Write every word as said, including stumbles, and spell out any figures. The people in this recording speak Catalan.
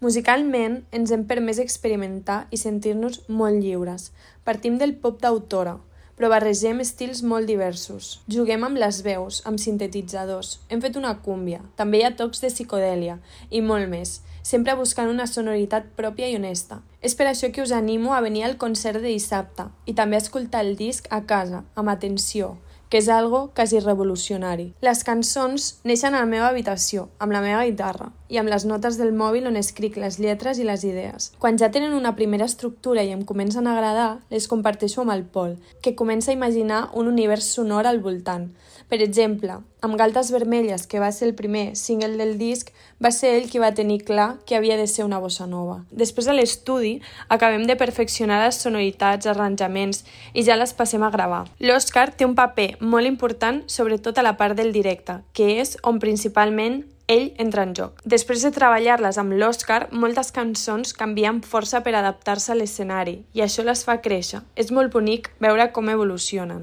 Musicalment, ens hem permès experimentar i sentir-nos molt lliures. Partim del pop d'autora, però barregem estils molt diversos. Juguem amb les veus, amb sintetitzadors, hem fet una cúmbia, també hi ha tocs de psicodèlia i molt més, sempre buscant una sonoritat pròpia i honesta. És per això que us animo a venir al concert de dissabte i també a escoltar el disc a casa, amb atenció, que és algo quasi revolucionari. Les cançons neixen a la meva habitació, amb la meva guitarra, i amb les notes del mòbil on escric les lletres i les idees. Quan ja tenen una primera estructura i em comencen a agradar, les comparteixo amb el Pol, que comença a imaginar un univers sonor al voltant. Per exemple, amb Galtes Vermelles, que va ser el primer single del disc, va ser ell qui va tenir clar que havia de ser una bossa nova. Després a l'estudi, acabem de perfeccionar les sonoritats, arranjaments i ja les passem a gravar. L'Òscar té un paper molt important, sobretot a la part del directe, que és on principalment ell entra en joc. Després de treballar-les amb l'Òscar, moltes cançons canvien força per adaptar-se a l'escenari i això les fa créixer. És molt bonic veure com evolucionen.